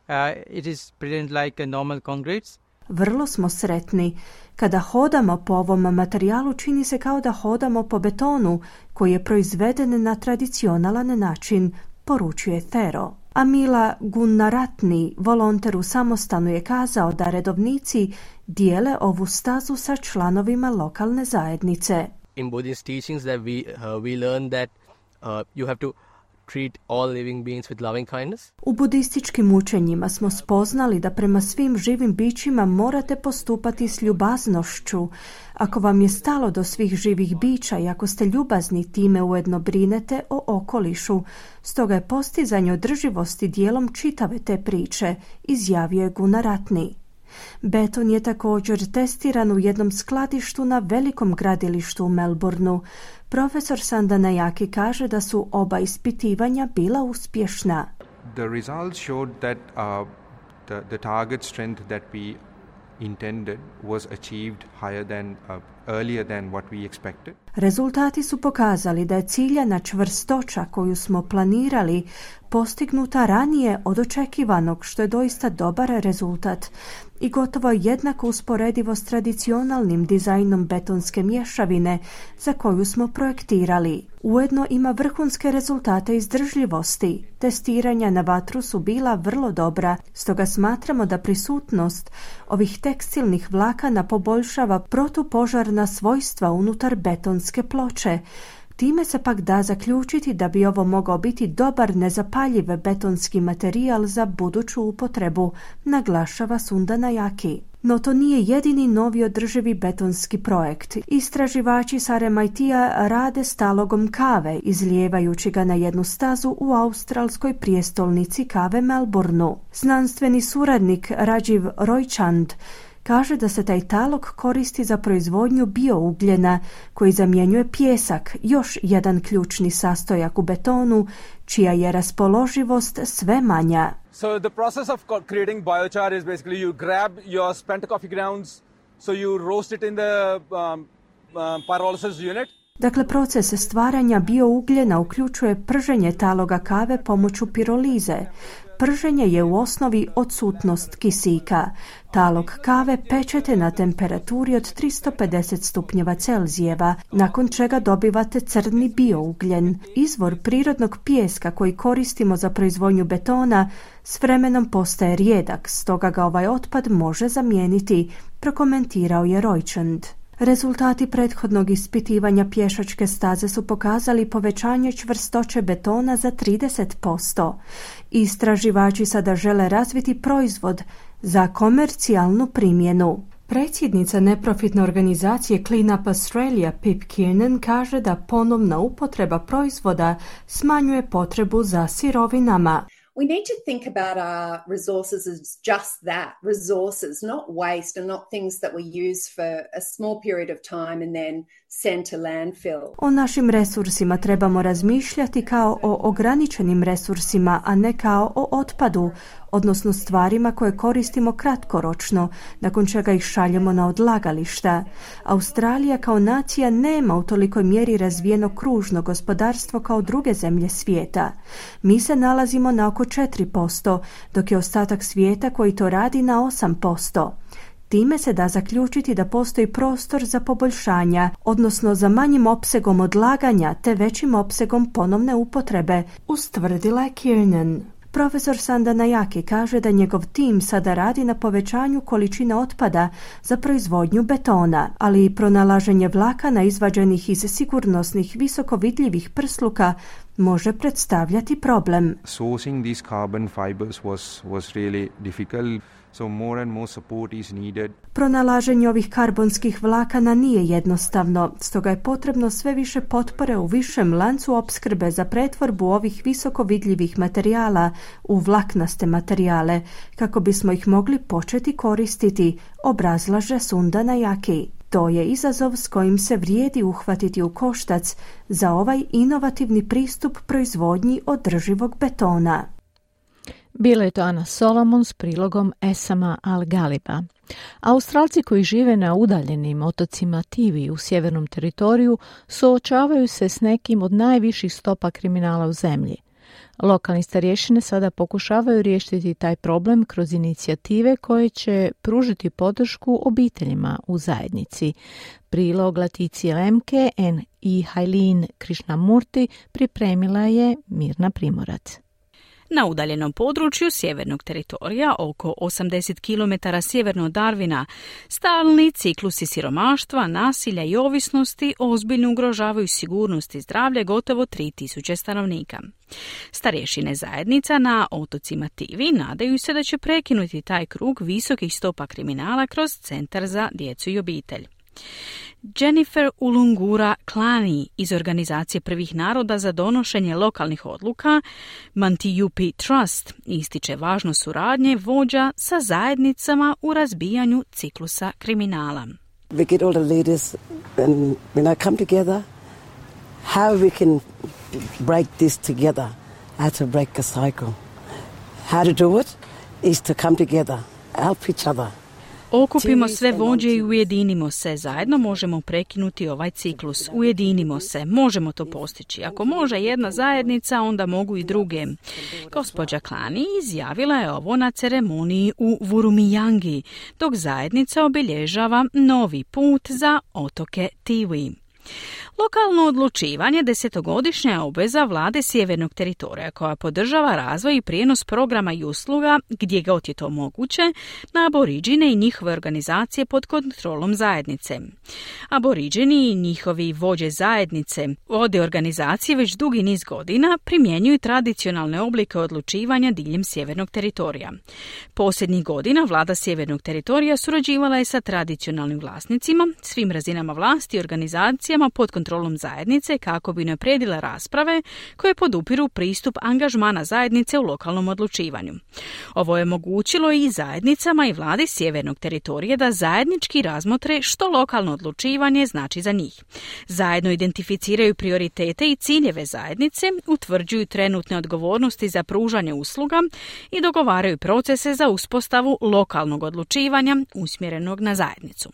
it is brilliant like a normal concrete. Vrlo smo sretni. Kada hodamo po ovom materijalu, čini se kao da hodamo po betonu koji je proizveden na tradicionalan način, poručuje Thero. Amila Gunnaratni, volonter u samostanu, je kazao da redovnici dijele ovu stazu sa članovima lokalne zajednice. In Buddhist teachings that we learn that you have to treat all living beings with loving kindness. U budističkim učenjima smo spoznali da prema svim živim bićima morate postupati s ljubaznošću. Ako vam je stalo do svih živih bića i ako ste ljubazni, time ujedno brinete o okolišu. Stoga je postizanje održivosti dijelom čitave te priče, izjavio je Gunnaratni. Beton je također testiran u jednom skladištu na velikom gradilištu u Melbourneu. Profesor Sandanayake kaže da su oba ispitivanja bila uspješna. The results showed that the target strength that we intended was achieved higher than earlier than what we expected. Rezultati su pokazali da je ciljana čvrstoća koju smo planirali postignuta ranije od očekivanog, što je doista dobar rezultat i gotovo jednako usporedivo s tradicionalnim dizajnom betonske mješavine za koju smo projektirali. Ujedno ima vrhunske rezultate izdržljivosti. Testiranja na vatru su bila vrlo dobra, stoga smatramo da prisutnost ovih tekstilnih vlakana poboljšava protupožarna svojstva unutar betonske ploče. Time se pak da zaključiti da bi ovo mogao biti dobar nezapaljiv betonski materijal za buduću upotrebu, naglašava Sundana Jaki. No to nije jedini novi održivi betonski projekt. Istraživači sa MIT-a rade s talogom kave, izlijevajući ga na jednu stazu u australskoj prijestolnici kave Melbourneu. Znanstveni suradnik Rajiv Roychand kaže da se taj talog koristi za proizvodnju biougljena koji zamjenjuje pijesak, još jedan ključni sastojak u betonu, čija je raspoloživost sve manja. So the process of creating biochar is basically you grab your spent coffee grounds, so you roast it in the pyrolysis unit. Dakle, proces stvaranja biougljena uključuje prženje taloga kave pomoću pirolize. Prženje je u osnovi odsutnost kisika. Talog kave pečete na temperaturi od 350 stupnjeva Celzijeva, nakon čega dobivate crni biougljen. Izvor prirodnog pijeska koji koristimo za proizvodnju betona s vremenom postaje rijedak, stoga ga ovaj otpad može zamijeniti, prokomentirao je Roychand. Rezultati prethodnog ispitivanja pješačke staze su pokazali povećanje čvrstoće betona za 30%. Istraživači sada žele razviti proizvod za komercijalnu primjenu. Predsjednica neprofitne organizacije Clean Up Australia Pip Kiernan kaže da ponovna upotreba proizvoda smanjuje potrebu za sirovinama. We need to think about our resources as just that, resources, not waste and not things that we use for a small period of time and then send to landfill. O našim resursima trebamo razmišljati kao o ograničenim resursima, a ne kao o otpadu, odnosno stvarima koje koristimo kratkoročno, nakon čega ih šaljemo na odlagališta. Australija kao nacija nema u tolikoj mjeri razvijeno kružno gospodarstvo kao druge zemlje svijeta. Mi se nalazimo na oko 4%, dok je ostatak svijeta koji to radi na 8%. Time se da zaključiti da postoji prostor za poboljšanja, odnosno za manjim opsegom odlaganja te većim opsegom ponovne upotrebe, ustvrdila je Kiernan. Profesor Sundana Jaki kaže da njegov tim sada radi na povećanju količine otpada za proizvodnju betona, ali i pronalaženje vlakana izvađenih iz sigurnosnih visokovidljivih prsluka može predstavljati problem. Sourcing these carbon fibers was really difficult. So more and more support is needed. Pronalaženje ovih karbonskih vlakana nije jednostavno, stoga je potrebno sve više potpore u višem lancu opskrbe za pretvorbu ovih visoko vidljivih materijala u vlaknaste materijale, kako bismo ih mogli početi koristiti, obrazlaže Sundana Jaki. To je izazov s kojim se vrijedi uhvatiti u koštac za ovaj inovativni pristup proizvodnji održivog betona. Bilo je to Ana Solomon s prilogom Esama Al-Galiba. Australci koji žive na udaljenim otocima Tivi u sjevernom teritoriju suočavaju se s nekim od najviših stopa kriminala u zemlji. Lokalni starješine sada pokušavaju riješiti taj problem kroz inicijative koje će pružiti podršku obiteljima u zajednici. Prilog Laticije Lemke i Hailin Krishnamurti pripremila je Mirna Primorac. Na udaljenom području sjevernog teritorija, oko 80 km sjeverno od Darwina, stalni ciklusi siromaštva, nasilja i ovisnosti ozbiljno ugrožavaju sigurnost i zdravlje gotovo 3000 stanovnika. Starješine zajednica na otocima Tivi nadaju se da će prekinuti taj krug visokih stopa kriminala kroz Centar za djecu i obitelj. Jennifer Ulungura Klani iz Organizacije prvih naroda za donošenje lokalnih odluka Mantijupi Trust ističe važnost suradnje vođa sa zajednicama u razbijanju ciklusa kriminala. We get all the leaders and come together, how we can break this together, how to break a cycle. How to do it is to come together, help each other. Okupimo sve vođe i ujedinimo se. Zajedno možemo prekinuti ovaj ciklus. Ujedinimo se. Možemo to postići. Ako može jedna zajednica, onda mogu i druge. Gospođa Klani izjavila je ovo na ceremoniji u Vurumijangi, dok zajednica obilježava novi put za otoke Tiwi. Lokalno odlučivanje 10-godišnja je obveza vlade Sjevernog teritorija koja podržava razvoj i prijenos programa i usluga gdje god je to moguće na aboriđine i njihove organizacije pod kontrolom zajednice. Aboriđini i njihovi vođe zajednice vode organizacije već dugi niz godina primjenjuju tradicionalne oblike odlučivanja diljem Sjevernog teritorija. Posljednjih godina vlada Sjevernog teritorija surađivala je sa tradicionalnim vlasnicima, svim razinama vlasti i organizacijama pod kontrolom zajednice kako bi unaprijedila rasprave koje podupiru pristup angažmana zajednice u lokalnom odlučivanju. Ovo je omogućilo i zajednicama i vladi Sjevernog teritorija da zajednički razmotre što lokalno odlučivanje znači za njih. Zajedno identificiraju prioritete i ciljeve zajednice, utvrđuju trenutne odgovornosti za pružanje usluga i dogovaraju procese za uspostavu lokalnog odlučivanja usmjerenog na zajednicu.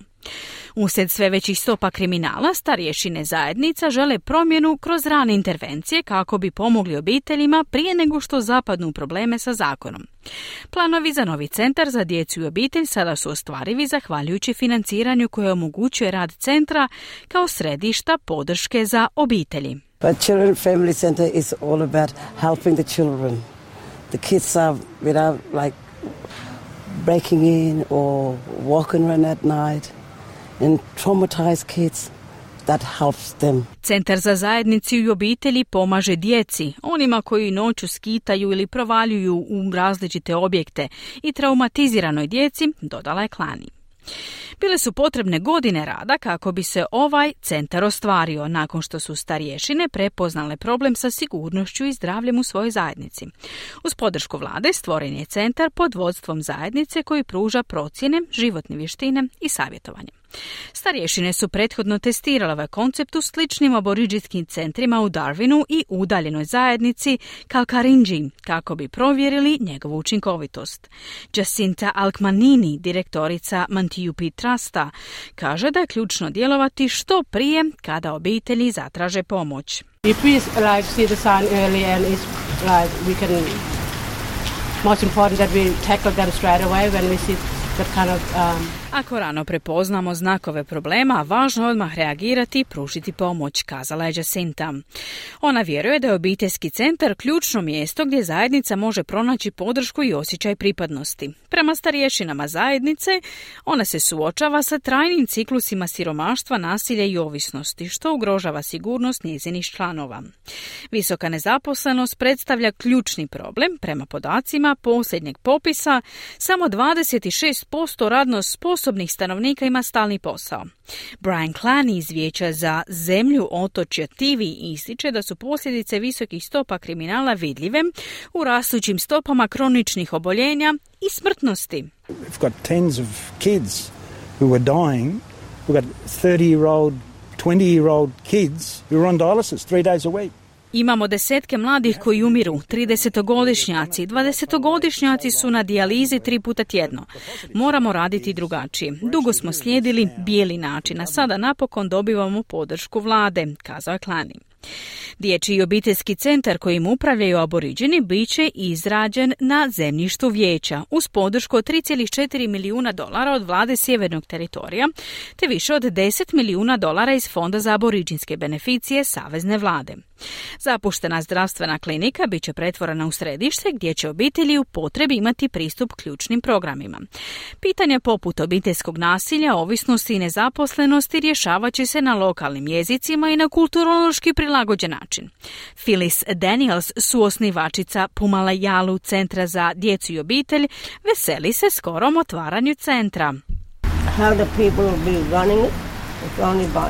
Uslijed sve većih stopa kriminala, starješine zajednica žele promjenu kroz rane intervencije kako bi pomogli obiteljima prije nego što zapadnu probleme sa zakonom. Planovi za novi centar za djecu i obitelj sada su ostvarivi zahvaljujući financiranju koje omogućuje rad centra kao središta podrške za obitelji. But Children Family Center is all about helping the children. The kids are without like breaking in or walking around at night. And traumatized kids, that helps them. Centar za zajednicu i obitelji pomaže djeci, onima koji noću skitaju ili provaljuju u različite objekte i traumatiziranoj djeci, dodala je Klani. Bile su potrebne godine rada kako bi se ovaj centar ostvario nakon što su starješine prepoznale problem sa sigurnošću i zdravljem u svojoj zajednici. Uz podršku vlade stvoren je centar pod vodstvom zajednice koji pruža procjene, životne vještine i savjetovanje. Starješine su prethodno testirale ovaj koncept u sličnim aboriđinskim centrima u Darwinu i udaljenoj zajednici Kalkarinji kako bi provjerili njegovu učinkovitost. Jacinta Alkmanini, direktorica Mantiupi Trusta, kaže da je ključno djelovati što prije kada obitelji zatraže pomoć. If we see the sign early and it's we can most important that we tackle them straight away when we see that kind of Ako rano prepoznamo znakove problema, važno je odmah reagirati i pružiti pomoć, kazala je Jacinta. Ona vjeruje da je obiteljski centar ključno mjesto gdje zajednica može pronaći podršku i osjećaj pripadnosti. Prema starješinama zajednice, ona se suočava sa trajnim ciklusima siromaštva, nasilja i ovisnosti, što ugrožava sigurnost njezinih članova. Visoka nezaposlenost predstavlja ključni problem. Prema podacima posljednjeg popisa, samo 26% radno sposobnih stanovnika ima stalni posao. Brian Clany iz Vijeća za zemlju otočja TV ističe da su posljedice visokih stopa kriminala vidljive u rastućim stopama kroničnih oboljenja i smrtnosti. We've got tens of kids who are dying. We've got 30-year-old, 20-year-old kids who are on dialysis 3 days a week. Imamo desetke mladih koji umiru, 30-godišnjaci, 20-godišnjaci su na dijalizi 3 puta tjedno. Moramo raditi drugačije. Dugo smo slijedili bijeli način, a sada napokon dobivamo podršku vlade, kazao je Klani. Dječji obiteljski centar kojim upravljaju aboriđini bit će izrađen na zemljištu vijeća uz podršku od $3,4 milijuna od vlade Sjevernog teritorija te više od $10 milijuna iz Fonda za aboriđinske beneficije savezne vlade. Zapuštena zdravstvena klinika bit će pretvorena u središte gdje će obitelji u potrebi imati pristup ključnim programima. Pitanja poput obiteljskog nasilja, ovisnosti i nezaposlenosti rješavat će se na lokalnim jezicima i na kulturološki prilagođen način. Phyllis Daniels, suosnivačica Pumalayalu centra za djecu i obitelj, veseli se skorom otvaranju centra. How the people will be running it, it's only by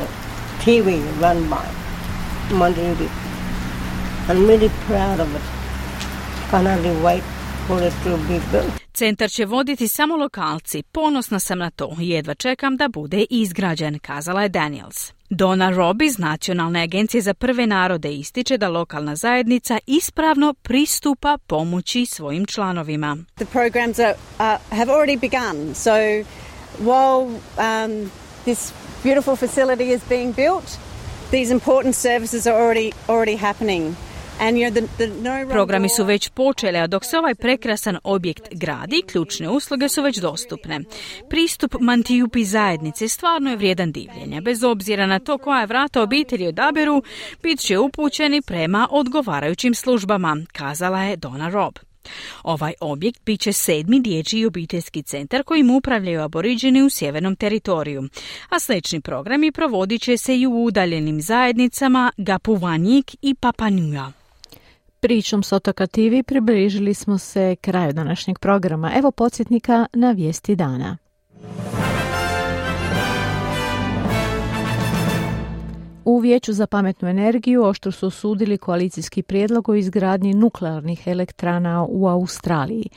TV run by Monday. I'm really proud of it. Can't hardly wait for it to be built. Centar će voditi samo lokalci. Ponosna sam na to. Jedva čekam da bude izgrađen, kazala je Daniels. Donna Robb iz Nacionalne agencije za prve narode ističe da lokalna zajednica ispravno pristupa pomoći svojim članovima. The programs have already begun. So while this beautiful facility is being built, these important services are already happening. Programi su već počeli, a dok se ovaj prekrasan objekt gradi, ključne usluge su već dostupne. Pristup Mantijupi zajednice stvarno je vrijedan divljenja. Bez obzira na to koja vrata obitelji odaberu, bit će upućeni prema odgovarajućim službama, kazala je Donna Robb. Ovaj objekt bit će 7. dječji obiteljski centar kojim upravljaju aboriđeni u sjevernom teritoriju, a slični programi provodit će se i u udaljenim zajednicama Gapuvanjik i Papanua. Pričom s otoka TV približili smo se kraju današnjeg programa. Evo podsjetnika na vijesti dana. U Vijeću za pametnu energiju oštro su osudili koalicijski prijedlog o izgradnji nuklearnih elektrana u Australiji.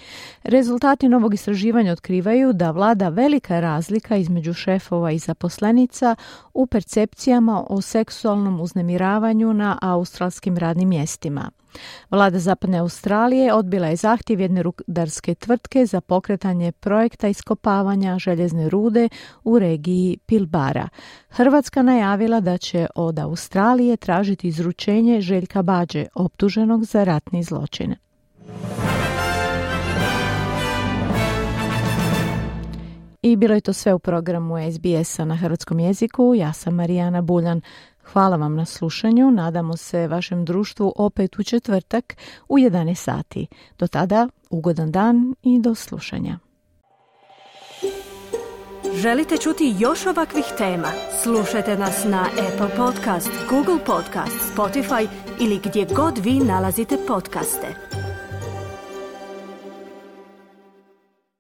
Rezultati novog istraživanja otkrivaju da vlada velika razlika između šefova i zaposlenica u percepcijama o seksualnom uznemiravanju na australskim radnim mjestima. Vlada Zapadne Australije odbila je zahtjev jedne rudarske tvrtke za pokretanje projekta iskopavanja željezne rude u regiji Pilbara. Hrvatska najavila da će od Australije tražiti izručenje Željka Badže, optuženog za ratni zločin. I bilo je to sve u programu SBS-a na hrvatskom jeziku. Ja sam Marijana Buljan. Hvala vam na slušanju. Nadamo se vašem društvu opet u četvrtak u 11 sati. Do tada, ugodan dan i do slušanja. Želite čuti još ovakvih tema? Slušajte nas na Apple Podcast, Google Podcast, Spotify ili gdje god vi nalazite podcaste.